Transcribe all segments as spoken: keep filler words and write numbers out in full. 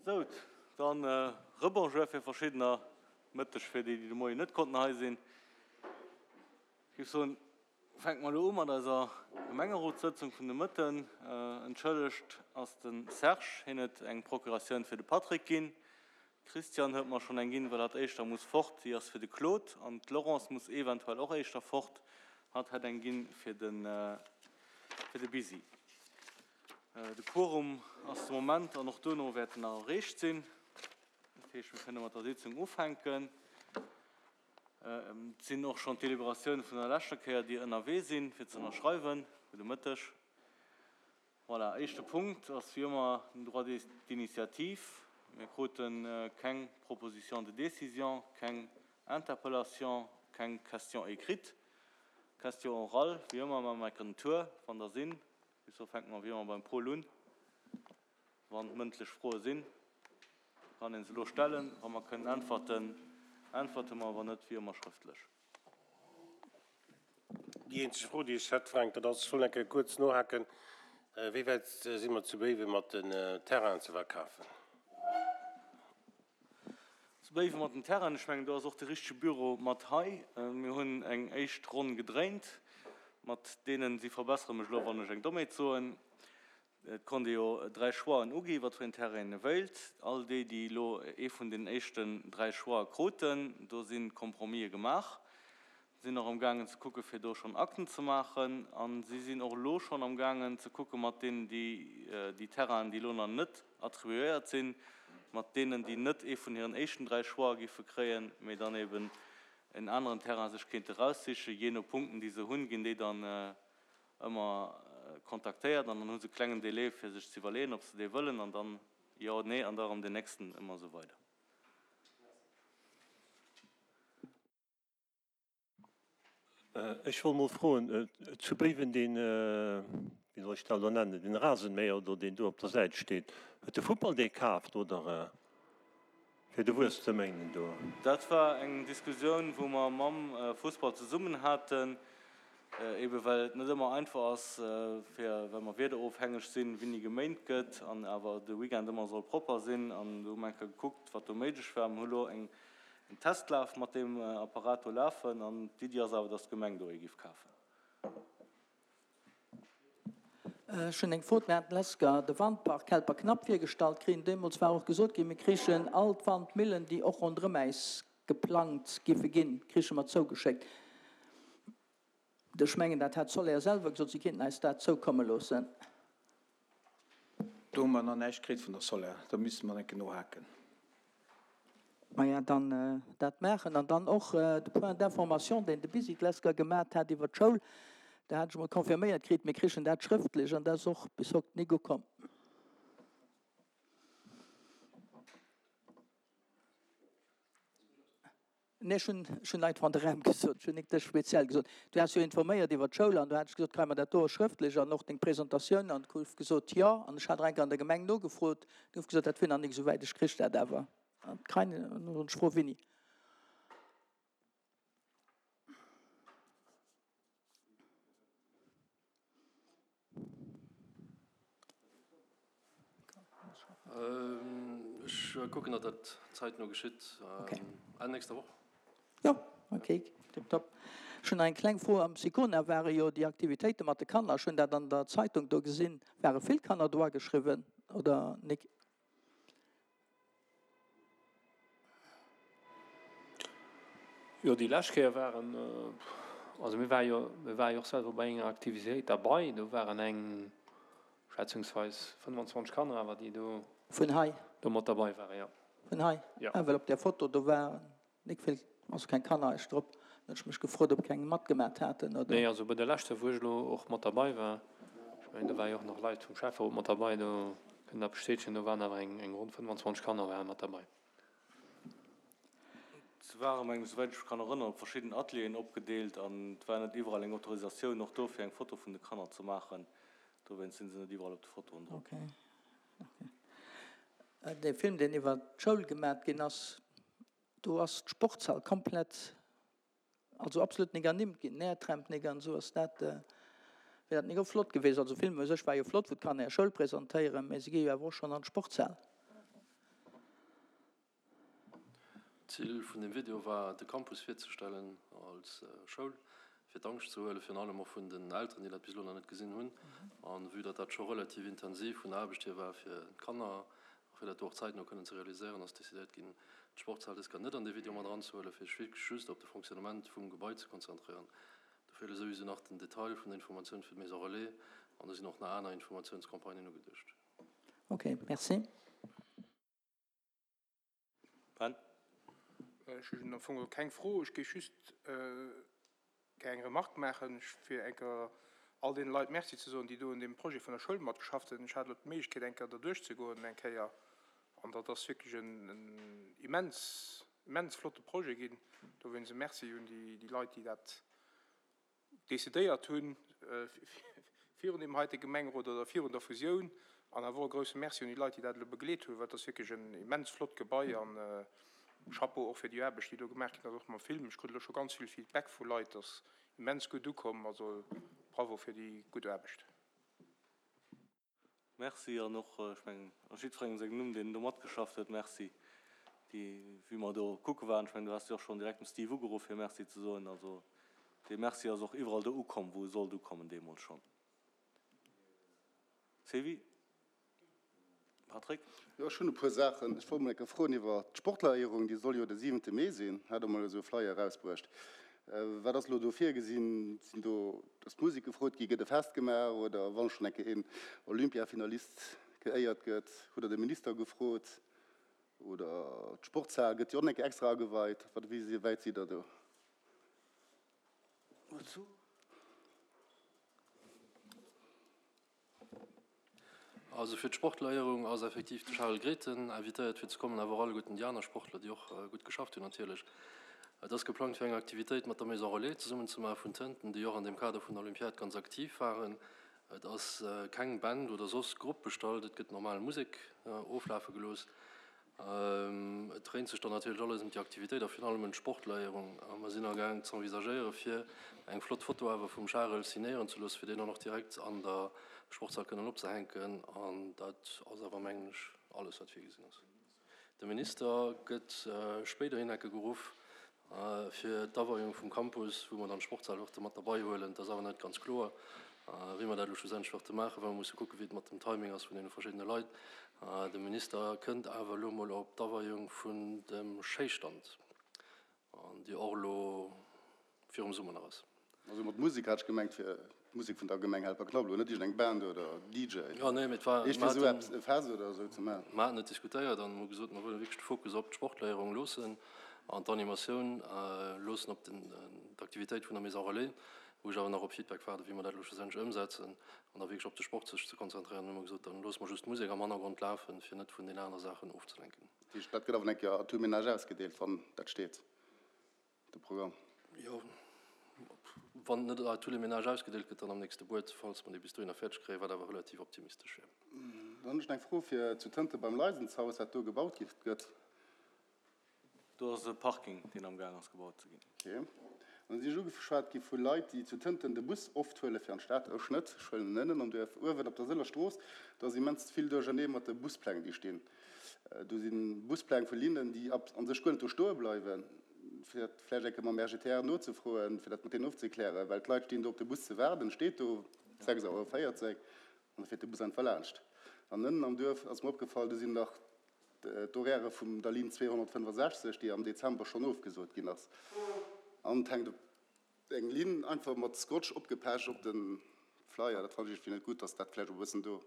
Sou, dann Rebonjour fir verschiddener, Mëtteg fir déi, déi de Moien net konnten hei sinn. Ech géif soen, fänke mer elo u mat eiser Gemengerotssëtzung vun de Mëtten. Entschëllegt ass de Serge, hien huet eng Procuratioun fir de Patrick ginn. D'Christiane huet mer schonn eng ginn, well hatt éischter muss fort, déi ass fir de Claude. An d'Laurence muss eventuell och éischter fort, hatt hätt eng ginn fir de fir de Bisi. De Quorum ass de Moment an och duerno wäert en nach erreecht sinn. Dat heescht, mir kënne mat der Sitzung ufänken. Et sinn och schonn d'Deliberatioune vun der leschter Kéier, déi ënnerwee sinn, fir ze ënnerschreiwen. Gudde Mëtteg. Voilà, éischte Punkt ass wéi ëmmer den Droit d'initiative. Mir krute keng Proposition de décision, keng Interpellation, keng Question écrite. Question orale, wéi ëmmer maache mer enken Tour, wann der sinn. Bis do fänke mer wéi ëmmer beim Paul un. Wann mëndlech Froe sinn, kann ee se elo stellen. Wa mer kënnen äntwerten, äntwerte mer, wann net, wéi ëmmer schrëftlech. Déi eenzeg Fro, déi ech hätt, Frank, dat ass, ech wollt eng Kéier kuerz nohaken, Wéi wäit si mer zu Béiwen mat den Terrainen ze verkafen? Zu Béiwen mat den Terrainen, ech mengen, do ass och de richtege Büro mat hei. Mir hunn eng éischt Ronn gedréint mat deenen, si verbessere mech elo, wann ech eng Dommheet soen, et konnt ee jo dräi Choixen ugi wat fir een Terrain ee wéilt. All déi, déi elo ee vun den éischten dräi Choixë kruten, do si Compromisë gemaach. Sinn och am gaangen ze kucke fir do schonn Akten ze maachen a si sinn och elo schonn am gaangen ze kucke mat deenen, déi déi Terrainen, déi elo nach net attribuéiert sinn, mat deenen, déi net ee vun hiren éischten dräi Choixë géife kréien, mee dann eben en aneren Terrain sech kéinte raussichen. Jee no Punkten, déi se hunn, ginn déi dann ëmmer kontaktéiert an dann hu se e klengen Délai fir sech ze iwwerleeën, ob se dee wëllen an dann jo, nee an da erëm deen nächsten, ëmmer esou weider. Ech wollt mol froen, zu Béiwen deen, wéi soll ech dat elo nennen, deen Rasenmäher do, deen do op der Säit steet, huet de Futtball dee kaaft oder fir de Wuess ze méinen do? Dat war eng Diskussioun, wou mer mam Fussball zesummen haten, ebe well et net ëmmer einfach ass, fir, well mer wiederofhängeg sinn, wéini geméint gëtt an awer de Weekend ëmmer soll propper sinn. An do hu mer eng Kéier gekuckt, wat do méiglech war. Mer hu lo eng En Testlaf mat deem Apparat do lafen an d'Iddi ass awer, dass d'Gemeng do ee giff kafen. Ech hunn eng Fro. Mir haten d'Lesker de Wandpark Helperknapp virgestallt kritt. Deemools war och gesot ginn, mir krichen all d'Wandmillen, déi och ronderëm äis geplangt giffe ginn, kriche mer zougeschéckt. Ech mengen, dat hat d'Soler selwer gesot, si kéinten äis dat zoukomme loossen. Do hu mer nach näischt kritt vun der Soler. Do misste mer enke nohaken. Maja, dann dat maachen. An dann och de Point d'information, deen de Bisi Glesker gemat hat iwwer d'Schoul, do hat ech emol confirméiert kritt, mir krichen dat schrëftlech, an dat ass och bis haut nik ukomm. Nee, ech hunn, ech hunn einfach an de Raum gesot, ech hunn nik dech speziell gesot. Du has jo informéiert iwwer d'Schoul an do hat ech gesot, kréie mer dat do och schrëftlech an och deng Presentatioun an et gouf gesot, jo. An ech hat nach eng Kéier an der Gemeng nogefrot, et gouf gesot, dat wier nach nik esou wäit, ech krich dat awer. An d'Krein, an ech froe wéini. Ech kucken, datt dat zäitno geschitt, Enn nächster Woch. Jo, ok, tiptop. Ech hunn nach eng kleng Fro. Am Sicona ware jo déi Aktivitéite mat de Kanner. Ech hunn dat an der Zeitung do gesinn. Ware vill Kanner do ageschriwwen oder nik? Jo, déi lescht Kéier waren, also mir ware jo, mir ware jo och selwer bei enger Aktivitéit derbei, do waren eng schätzungsweis fënnwanzwanzeg Kanner awer, déi do Vun hei? do mat derbei waren, jo. Vun hei? Jo. Ah, well op där Foto do waren nik vill, also keng Kanner eischt drop. Dann hunn ech mech gefrot, ob keng matgemat haten, oder? Nee, also bei der leschter, wou ech elo och mat derbei war, ech mengen, do ware jo och nach Leit vum Schäfferot mat derbei, do kënnen dat bestätegen, do waren awer eng eng ronn fënnwanzwanzeg Kanner ware mat derbei. Se ware mengen ech, souwäit ech mech kann erënneren, op verschidden Atelieren opgedeelt an et war net iwwerall eng Autorisatioun och do fir eng Foto vun de Kanner ze maachen. Dowéinst sinn se net iwwerall op de Fotoen drop. Ok, ok. Dee Film, deen iwwer d'Schoul gemat ginn ass, do ass d'Sportshal komplett, also absolut nik ernimmt ginn, Nährträmp nik an esou. Ass dat, wier dat nik och flott gewiescht? Also Film u sech war jo flott, wou d'Kanner hir Schoul presentéieren, mä se gi jo awer och schonn an d'Sportshal. D'Zil vun dem Video war, de Campus virzestellen als Schoul, fir d'Angscht ze huelen, virun allem och vun den Elteren, déi dat bis elo nach net gesinn hunn. A vue datt dat scho relativ intensiv vun der Aarbecht hier war fir d'Kanner a fir dat do och zäitno kënnen ze realiséieren, ass decidéiert ginn, d'Sportshal dës Kéier net an dee Video mat eranzehuelen, fir sech wierklech just op de Fonctionnement vum Gebai ze konzentréieren. Do feele souwisou nach den Detail vun der Informatioun fir d'Maison relais an do sinn och nach aner Informatiounscampagnen ugeduecht. Ok, merci. Ben. Ech hunn am Fong keng Fro, ech géif just gär eng Remarque maachen, fir eng Kéier all deene Leit Merci ze soen, déi do un deem Projet vun der Schoul matgeschafft hunn. Ech hat elo d'Méiglechkeet, eng Kéier derduerch ze goen eng Kéier, an dat ass wierklech en immens, immens flotte Projet ginn. Dowéinst e Merci un déi Leit, déi dat decidéiert hunn virun deem heite Gemengerot oder virun der Fusioun, an awer och e grouse Merci un déi Leit, déi dat elo begleet hunn, well et ass wierklech en immens flott Gebai an Chapeau och fir déi Aarbecht, déi do gemaach ginn ass, och mam Film. Ech krut elo scho ganz vill Feedback vu Leit, dat ass immens gutt ukomm, also Bravo fir déi gutt Aarbecht. Merci an och, ech mengen, a jiddwerengem sengem Numm, deen do matgeschafft huet, Merci, déi, wéi mer do kucke waren, ech mengen, du has jo och schonn direkt dem Steve ugeruff, fir Merci ze soen. Also dee Merci ass och iwwerall do ukomm, wou e sollt ukommen, deemools schonn. Sylvie? Patrick? Jo, ech hunn e puer Saachen. Ech wollt mol eng Kéier froen iwwer d'Sportleréierung, déi soll jo de siwente Mee sinn, hat Der mol esou e Flyer erausbruecht. Wat ass elo do virgesinn? Sinn do, ass d'Musek gefrot ginn, gëtt e Fest gemaach oder wann schonn eng Kéier een Olympiafinalist geéiert gëtt, hutt Der de Minister gefrot? Oder d'Sportshal gëtt jo och eng Kéier extra ageweit. Wat, wéi wäit sidd Der do? Also fir d'Sportleréierung ass effektiv de Charel Grethen invitéiert fir ze kommen, awer och alleguerten déi aner Sportler, déi och gutt geschafft hunn natierlech. Et ass geplangt fir eng Aktivitéit mat der Maison Relais zesummen ze maache vun Tënten, déi och an deem Kader vun der Olympiad ganz aktiv waren. Et ass keng Band oder soss Grupp bestallt, et gëtt normal Musek oflafe gelooss. Et dréint sech dann natierlech alles ëm déi Aktivitéit a virun allem ëm d'Sportleierung. A mer sinn agaang z'envisagéiere fir eng flott Foto awer vum Charel signéieren ze loossen, fir déi dann och direkt an der Sportshal kënnen opzehänken. An dat ass awer, mengen ech, alles wat virgesinn ass. De Minister gëtt spéiderhin enke geruff. Fir d'Aweiung vum Campus, wou mer dann d'Sportshal wërte mat derbei huelen. Et ass awer net ganz kloer, wéi mer dat elo schlussendlech wërte maachen, well mer musse kucken, wéi et mat dem Timing ass vun deene verschiddene Leit. De Minister kënnt awer elo mol op d'Aweiung vun dem Schéistand, déi och elo virum Summer nach ass. Also mat Musek hat ech gemengt fir d'Musek vun der Gemeng Helperknapp, net iergend eng Band oder D J. Jo, nee, mee et war, Eescht fir esou eppes, e Fest oder esou ze maachen. Mer haten et diskutéiert an hu gesot, mer wëlle wierklech de Fokus op d'Sportleierung loossen an d'Animatioun loossen op den, d'Aktivitéit vun der Maison Relais, wou ech awer nach op Feedback waarden, wéi mer dat elo schlussendlech ëmsetzen, an da wierklech op de Sport sech ze konzentréieren. Hu mer gesot, dann loosse mer just d'Musek am Hannergrond lafen, fir net vun den anere Saachen ofzelenken. Dat heescht, dat gëtt awer eng Kéier à tout ménage ausgedeelt, wann dat steet, de Programm? Jo, wann et net à tous les ménages ausgedeelt gëtt, dann am nächste Buet, falls mer dee bis dohinner fäerdeg kréien, wat awer relativ optimistesch wier. Dann hunn ech nach eng Fro fir zu Tënte beim Leisenshaus, wat do gebaut gëtt. Do ass e Parking, deen amgaang ass gebaut ze ginn. Ok. An da sinn ech ugeschwat gi vu Leit, déi zu Tënten de Bus oft huele fir an d'Stad. Ech net, ech huelen en ënnen am Duerf. Uewen op der Sëller Strooss, do ass immens vill Duerchernee mat de Buspläng, déi stinn. Do si Buspläng vu Linnen, déi a sech guer net do stoe bleiwen. Fir dat vläicht eng Kéier mam R G T R nozefroen, fir dat mat deenen ofzeklären, well d'Leit stinn do op de Bus ze waarden, steet do sechs Auer véierzéng an da fiert de Bus einfach laanscht. An ënnen am Duerf ass mer opgefall, do sinn nach d'Horairë vum der Linn zweehonnertfënnefasechzeg, déi am Dezember schonn ofgesot ginn ass, an et hänkt eng Linn einfach mat Scotch opgepecht op de Flyer. Dat fannen ech iergendwéi net gutt, dass dat vläicht och e bëssen do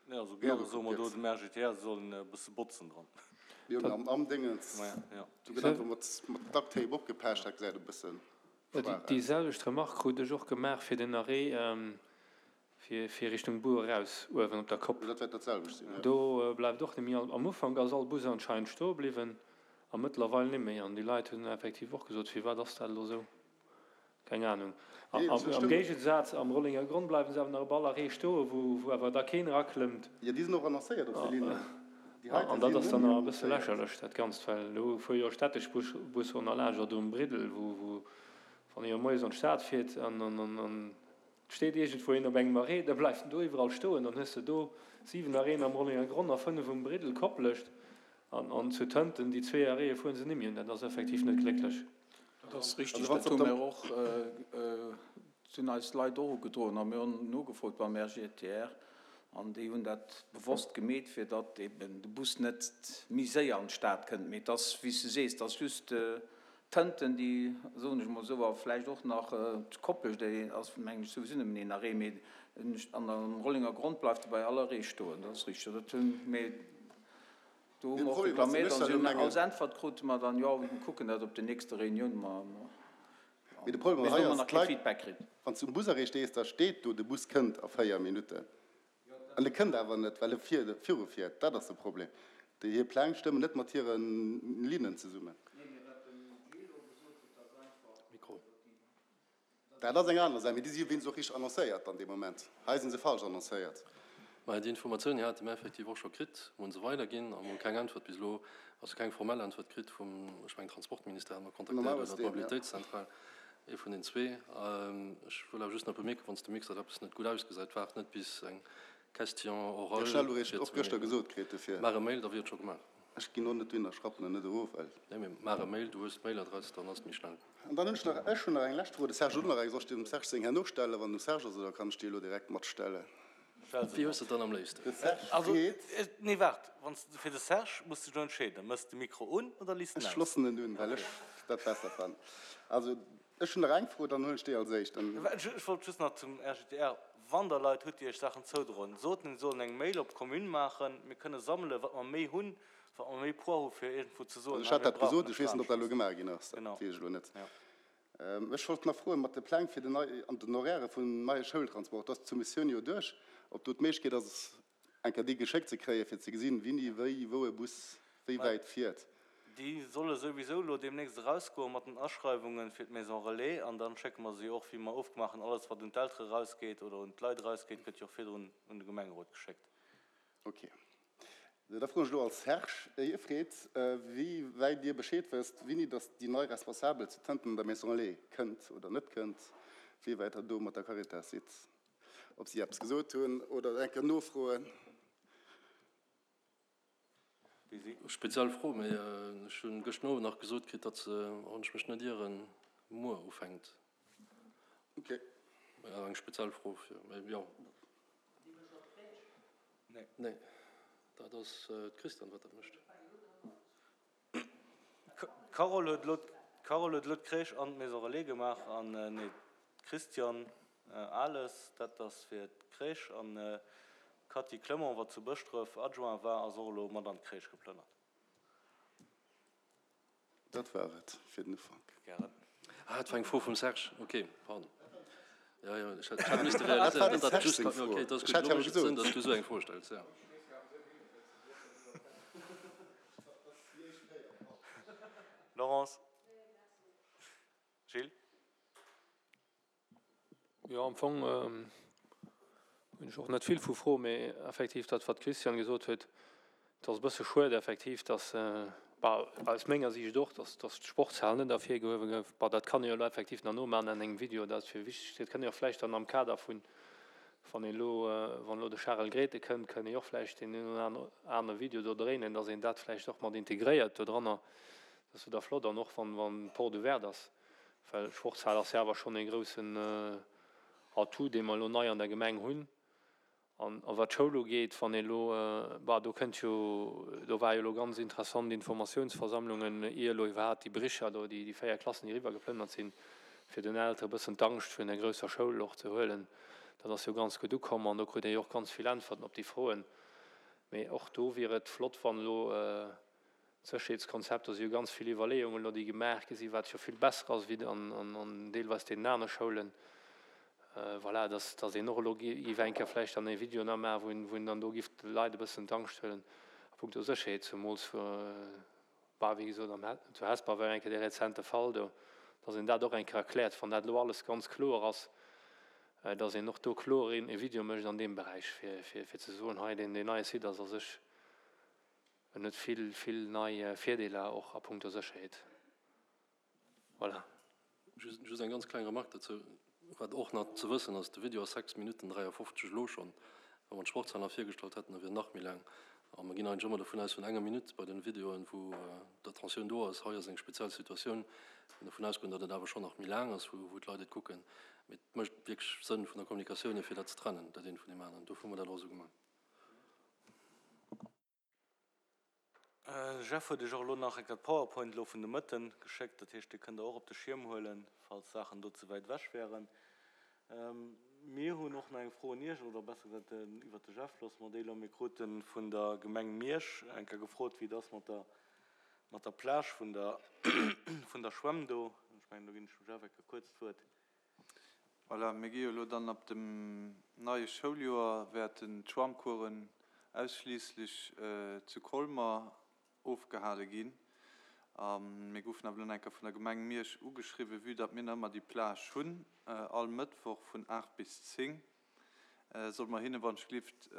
Nee, also gäre soe nogekuckt mer do gëtt. dem R G T R, se sollen e bësse botzen dran. Jo, mee am, am Déngens, Ja. do gëtt einfach mat, mat Duct Tape opgepecht, dat gesäit e bësse schwaach Déi aus. selwecht Remarque krut ech och gemaach fir den Arrêt fir, fir Richtung Bur eraus, uewen op der Kopp. Dat wäert dat selwecht sinn, jo. Do bleift och net méi. Am Ufank ass all Bus anscheinend stoe bliwwen a mëttlerweil net méi. An déi Leit hunn effektiv och gesot, firwat ass dat elo esou? Keng Ahnung. Nee, Am dat stëmmt. Géigensaz, am Rollenger Gronn bleiwen se awer nach op all Arrêt stoen, wou, wou awer da keen eraklëmmt. Jo, déi sinn och annoncéiert op de Linnen. Déi heite An dat sinn ass net dann méi nach e bësse annoncéiert. lächerlech, dat Ganzt, well do fuere jo stätteg Bus, Busser och nach laanscht, oder um Briddel, wou, wou wann ee jo moies an d'Stad fiert an, an, an, an et steet iergendwou een op engem Arrêt, da bleift en do iwwerall stoen, dann hues de do siwen Arrêten am Rollenger Gronn a fënnef um Briddel koppelecht. An zu Tënten, déi zwee Arrêtë fuere se nimmi un. Dat ass effektiv net glécklech. Dat ass richtig. Dat hu mir och, dat hunn eis Leit och ugedroen a mir hunn nogefrot beim R G T R an déi hunn dat bewosst gemeet, fir datt eben de Bus net méi séier an d'Stad kënnt. Mee et ass, wéi s de sees, et ass just Tënten, déi, soen ech emol esou, a vläicht och nach d'Koppech, déi ass, mengen ech, souwisou nëmmen een Arrêt, mee an am Rollenger Grond bleift e bei all Arrêt stoen. Dat ass richtig. Dat hunn, mee do hu mer och reklaméiert an si hunn als Äntwert krute mer dann, jo, mir kucken dat op der nächster Reunioun, ma Mee de Problem bis hei elo hu mer ass, nach kee d'Leit, Feedback kritt. wann s du um Busarrêt stees, da steet do, de Bus kënnt a véier Minutten. An e kënnt awer net, well e viru fiert. Dat ass de Problem. Déi hir Pläng stëmmen net mat hire Linnen zesummen. Dat ass eng aner Saach, mee déi si jo wéinst och richteg annoncéiert dann dee Moment. Hei si se falsch annoncéiert. Mä déi Informatioun, déi hate mir effektiv och scho kritt, mir hu se weiderginn a mir hu keng Äntwert bis elo, also keng formell Äntwert kritt vum, ech mengen, Transportministère hat mer kontaktéiert oder d'Mobilitéitszentral, ee vun den zwee. Ech wëll awer just nach bemierken, wann s de mierks, datt eppes net gutt ausgesäit, waart net bis eng Question orale fir ze bemierken. Maach e Mail, da wier et scho gemaach. Ech ginn och net dohinner, ech rappen en net erof, well. Nee, mee maach e Mail, du hues d'Mailadress, dann ass et méi schnell. An dann hunn ech nach, ech hunn nach eng lescht Fro, de Serge huet och nach eng. Soll ech dem Serge seng herno stellen, wann dem Serge ass, oder kann ech déi elo direkt matstellen? Wéi hues de et dann am léifsten? De Serge Also, freet. nee, waart, wann s de, fir de Serge muss dech elo entscheeden, Méchs de Mikro un oder liiss en Ech aus? loossen en un, well ech dat besser fannen. Also, ech hunn nach eng Fro, dann huelen ech déi als éischt. Dann. Ech wollt just nach zum R G T R, Wann Der Leit hutt, déi Iech Saachen zoudroen, sot hinnen, si sollen eng Mail op d'Commune maachen. Mir kënne sammelen, wat mer méi hunn, wat mer méi Poids hu fir iergendwou ze Also soen, ech hei, hat mir dat brauchen gesot, e ech weess net, ob dat elo Strahlenschutz. gemaach ginn ass, dat Genau, weess ech elo net. jo. Ech wollt nach froen, mat de Pläng fir den nei an den Horairë vum neie Schoultransport, do ass d'Soumissioun jo duerch, ob do d'Méiglechkeet ass, eng Kéier déi geschéckt ze kréien, fir ze gesinn, wini, wéi, wou e Bus wéi wäit fiert. Déi solle souwisou elo deemnächst erausgoen mat den Aschreiwunge fir d'Maison Relais an dann schécke mer se jo och, wéi mer ofgemaach hunn, alles wat un d'Eltere erausgeet oder un d'Leit erausgeet, gëtt jo och virdrun un de Gemengerot geschéckt. Ok. Da froen ech elo als Serge Ier freet, wéi wäit Dir Bescheed wësst, wéini datt déi nei Responsabel zu Tënten an der Maison Relais kënnt oder net kënnt, wéi wäit Der do mat der Caritas sidd, ob si eppes gesot hunn oder eng Kéier nofroen. Speziell Fro, mee ech hunn gëschten Owend nach gesot kritt, datt se, wann ech mech net ieren, muer ufänkt. Ok. Mee awer eng speziell Fro fir, mee jo. Nee, dat ass d'Christiane wat dat mécht. D'Carole huet elo, d'Carole huet elo d'Crèche an d'Maison Relais gemaach an, nee, d'Christiane Ales, dat ass fir d'Crèche an d'Cathy Clement, wat zu Bëschdref Adjoint war, ass och elo mat an d'Crèche geplënnert. Dat war et fir den Ufank. Gären. Ah, et war eng Fro vum Serge. Ok, pardon. Jo, jo, ech hat misste Dat war realiséieren, dem datt dat Serge just seng ka. Fro. Ok, dat ass Ech gutt. hat Elo jo awer mécht et Sënn, gesot. datt s du esou eng Fro stells, jo. Laurence? Gilles? Jo, am Fong hunn ech och net vill vu Froen, mee effektiv dat, wat d'Christiane gesot huet, et ass e bësse schued effektiv, dass, bah, aus menger Siicht och, dass, dass d'Sportshal net ervirgehuewe gouf. Bah, dat kann ee jo elo effektiv nach nomaachen an engem Video, dat ass fir wichteg. Dat kënnt ee och vläicht dann am Kader vun, wann een elo, wann elo de Charel Grethen kënnt, kënnt ee och vläicht deen een oder anere Video do dréinen, dass een dat vläicht och mat integréiert dodranner. Dat ass jo da flott an och wann, wann d'Porte ouverte ass, well d'Sportshal ass jo awer schonn ee groussen Atout, dee mer elo nei an der Gemeng hunn. An a wat d'Schoul ugeet, wann ee elo, bah, do kënnt jo, do war jo elo ganz interessant Informatiounsversammlungen, ier elo iwwerhaapt déi Bricher do, déi déi véier Klassen, déi eriwwergeplënnert sinn, fir den Eltere e bëssen d'Angscht vun der grousser Schoul och ze huelen. Dat ass jo ganz gutt ukomm an do krut ee jo och ganz vill Äntwerten op déi Froen. Mee och do wier et flott, wann elo d'Sécherheetskonzept, do si jo ganz vill Iwwerleeungen elo, déi gemaach gi sinn, wat jo vill besser ass wéi an deelweis deenen anere Schoulen, voilà, dass, dass een och elo géif eng Kéier vläicht dann e Video nach maachen, wou een, wou een dann do géif de Leit e bëssen d'Angscht huelen a puncto Sécherheet, zemools bah, wéi gesot, am, zu Hesper war eng Kéier dee rezente Fall do, dass een dat och eng Kéier erkläert, wann dat elo alles ganz kloer ass, dass een och do kloer een e Video mécht an deem Beräich, fir, fir, fir ze soen, hei, deen, deen neie Site ass a sech en huet vill, vill nei Virdeeler och a puncto Sécherheet. Voilà. Just, just eng ganz kleng Remarque dozou, wat och nach ze wëssen ass, de Video ass sechs Minutten dräiafofzeg elo schonn. Wa mer d'Sportshal nach virgestallt hätten, da wier en nach méi laang. A mer ginn eigentlech ëmmer dovun aus vun enger Minutt bei den Videoen, wou d'Attentioun do ass. Hei ass eng speziell Situatioun. Mir ginn dovun ausgoen, datt et awer schonn nach méi laang ass, wou d'Leit et kucken. Mee et mécht wierklech Sënn vun der Kommunikatioun hier, fir dat ze trennen, dat eent vun deem aneren. Dofir hu mer dat och esou gemaach. Jeff huet iech och elo nach enker d'Powerpoint elo vun de Mëtten geschéckt. Dat heescht, déi kënnt der och op de Schierm huelen, falls Saachen do ze wäit ewech wären. Mir hunn och nach eng Fro un Iech, oder besser gesot iwwert de Jeff loosse mer déi elo. Mir krute vun der Gemeng Miersch eng Kéier gefrot, wéi et ass mat der, mat der Plage vun der, vun der Schwämm do. Ech mengen, do ginn ech dem Jeff eng Kéier kuerz d'Wuert. Voilà, mir gi jo elo dann ab dem neie Schouljoer wäerten d'Schwammcoursen ausschliisslech zu Colmer ofgehale ginn. A mir goufen awer elo nach eng Kéier vun der Gemeng Miersch ugeschriwwen, vue datt mir nach ëmmer déi Plage hunn, all Mëttwoch vun aacht bis zéng, solle mer hinne wann ech glift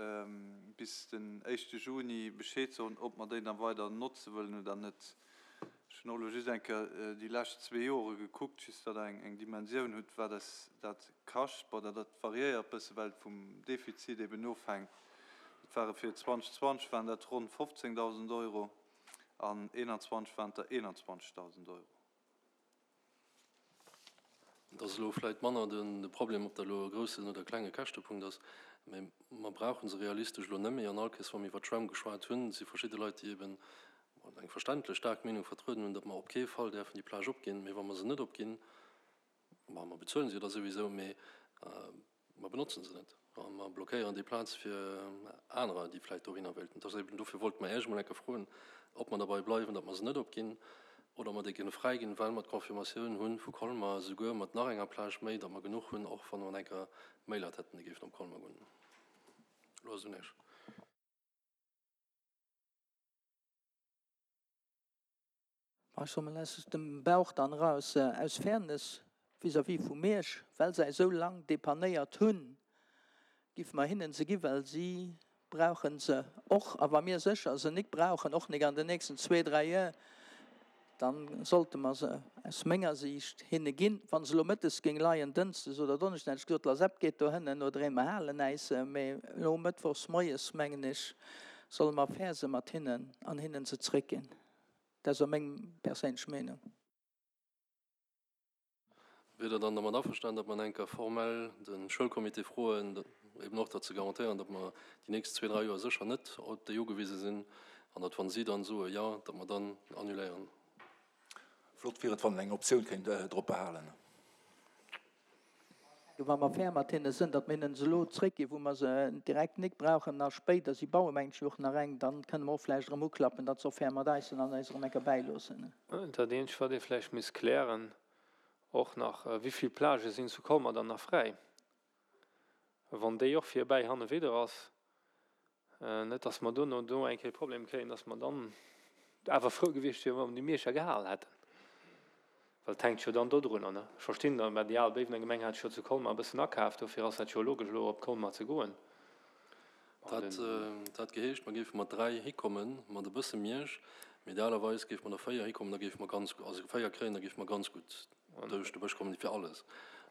bis den éischte Juni Bescheed soen, ob mer déi da weider notze wëllen oder net. Ech hunn och elo just eng Kéier déi lescht zwee Jore gekuckt, just datt Der eng Dimensioun hutt, wat eis dat kascht. Bon, dat variéiert e bësse, well et vum Defizit eben ofhänkt. Dat ware fir zweitausendzwanzeg waren dat ronn fofzéngdausend Euro an eenanzwanzeg waren et der eenanzwanzegdausend Euro. Et ass elo vläicht manner de Problem, ob dat elo e groussen oder e klenge Käschtepunkt ass, mä mer brauche se realistesch elo net méi. An all Kéiers, wa mir iwwert d'Schwämm geschwat hunn, si verschidde Leit, déi eben eng verständlech staark Meenung vertrueden hunn, datt mer op kee Fall däerfen déi Plage opginn. Mä wa mer se net opginn, bon, mer bezuelen se jo da souwisou, mä mer benotzen se net a mer blockéieren déi Plaz fir anerer, déi vläicht dohinner wéilten. Et ass eben, dofir wollte mer Iech emol eng Kéier froen, ob mer derbei bleiwen, datt mer se net opginn oder ob mer déi kënne fräiginn, well mer d'Confirmatioun hu vu Colmer, esouguer mat nach enger Plage méi, datt mer genuch hunn, och wann mer eng Kéier méi Leit hätten, déi géifen op Colmer goen. Elo ass et un Iech. Ech soe mol aus dem Bauch dann eraus, aus Fairness vis-à-vis vu Miersch, well se eis esou lang depannéiert hunn, giffe mer hinnen se gi, well si brauche se och. A wa mir sécher se nik brauchen, och nik an den nächsten zwee, dräi Joer, da sollte mer se aus menger Siicht hinne ginn. Wa se elo mëttes géing leien, dënschdes oder donneschdes, hätt ech gesot, la Sepp geet dohënnen oder ee mer halen äis se. Mee elo mëttwochs moies, mengen ech, solle mer fair se mat hinnen an hinnen se zréckginn. Dat ass och meng perséinlech Meenung. Wier Der dann dermat averstanen, datt mer eng Kéier formell de Schoulcomité froen, eben och dat ze garantéieren, datt mer déi nächst zwee, dräi Joer sécher net op déi ugewise sinn an datt, wa si dann soe jo, datt mer dann annuléieren? Flott wier et, wann een eng Optioun kéint drop behalen. Wa mer fair mat hinne sinn, datt mir hinnen se elo zréckginn, wou mer se direkt nik brauchen, a spéider, si baue mengt ech och nach eng, dann kënne mer och vläicht erëm uklappen, datt se och fair mat eis sinn an eis erëm eng Kéier bäiloossen. Dat eenzegt, wat ee vläicht misst klären och nach, Wéi vill Plagë sinn zu Colmer dann nach fräi, wann déi och virbäi hanne widder ass? Net datt mer duerno do eng Kéier e Problem kréien, datt mer dann awer frou gewiescht wieren, wa mer déi Mierscher gehal hätten. Well et hänkt jo dann dodrunner, ne? Ech verstinn dann, mä déi al Béiwener Gemeng hat sech jo zu Colmer e bëssen akaaft, dofir ass dat jo logesch elo op Colmer ze goen. Dat hätt geheescht, mer géife mat dräi hikommen, mat e bësse Miersch, mee idealerweis géife mer der véier hikommen, da géife mer ganz, also véier kréien, da géife mer ganz gutt duerch de Bësch kommen, fir alles.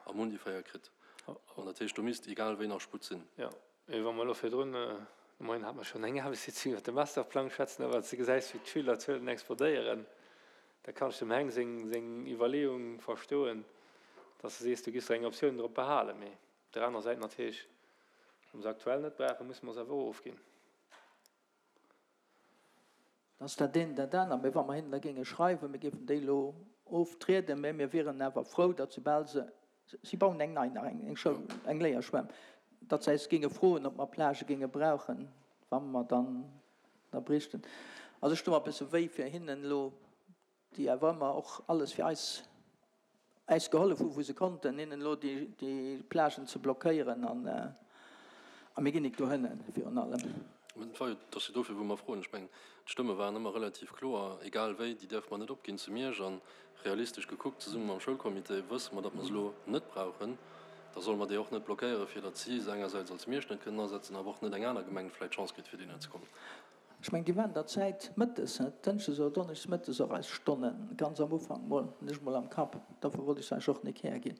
A mer hunn déi véier kritt. An dat heescht, do misst egal wéi nach Sputt sinn. Jo, mee wa mer elo virdrun, de Moien hate mer schonn eng Aarbechtssitzung iwwert de Masterplang schwätzen, a wann s de gesäis, wéi d'Schülerzuelen explodéieren, da kann ech dem Heng seng, seng Iwwerleeung verstoen, dass de sees, du giffs der eng Optioun drop behalen. Mee op der anerer Säit natierlech, wa mer se aktuell net brauchen, musse mer se awer och ofginn. Da ass dat eent dat anert. Mee wa mer hinnen da géinge schreiwen, mir géifen déi elo oftrieden, mä mir wieren awer frou, datt soubal se, si bauen eng nei nach, eng Schoul, eng Léierschwämm, datt se eis géinge froen, ob mer Plagë géinge brauchen, wa mer dann da bräichten. Also ech stu mer e bësse wéi fir hinnen elo, déi awer ëmmer och alles fir eis äis gehollef hu wou se konnten, hinnen elo déi Plagen ze blockéieren an a mir ginn nik dohënnen virun allem. Et war jo, et ass jo dofir wou mer froen. Ech mengen, d'Stëmme waren ëmmer relativ kloer, egal wéi, déi däerfe mer net opginn zu Miersch. A realistesch gekuckt, zesumme mam Schoulcomité wësse mer, datt mer se elo net brauchen. Da solle mer déi och net blockéieren, fir datt si se engersäits als Miersch net kënnen asetzen, awer och net eng aner Gemeng vläicht d'Chance kritt, fir dohinner ze kommen. Ech mengen, déi waren der Zäit mëttes, dënschdes oder donneschdes mëttes och eis Stonnen, ganz am Ufank mol, hunn ech mol am Kapp. Dofir wollt ech se eis och nik härginn.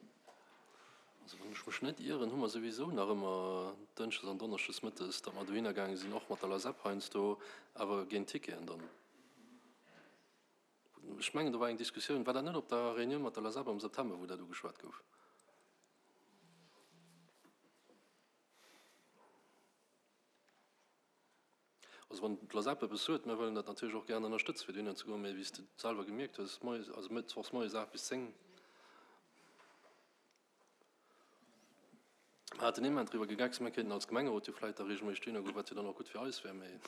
Also wann ech mech net ieren, hu mer souwisou nach ëmmer dënschdes an donneschdes mëttes, datt mer dohinner gaange sinn, och mat der LASEP heiansdo, awer géint Ticketen dann. Ech mengen, do war eng Diskussioun, war dat net op der Reunioun mat der LASEP am September, wou dat ugeschwat gouf? Also wann d'LASEP eppes huet, mir wëllen dat natierlech och gären ënnerstëtzen, fir dohinner ze goen, mee wéi s de selwer gemierkt hues, moies, also mëttwochs moies aacht bis zéng, Mer haten immens driwwer gegeckst, mir kéinten als Gemengerot jo vläit da regelméisseg dohinner goen, wat jo dann och gutt fir eis wär, mee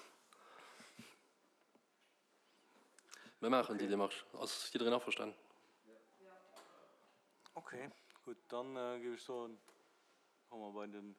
mir maachen déi Démarche. Ass jiddereen averstanen? Okay, gutt, dann géif ech soen, komme mer bei den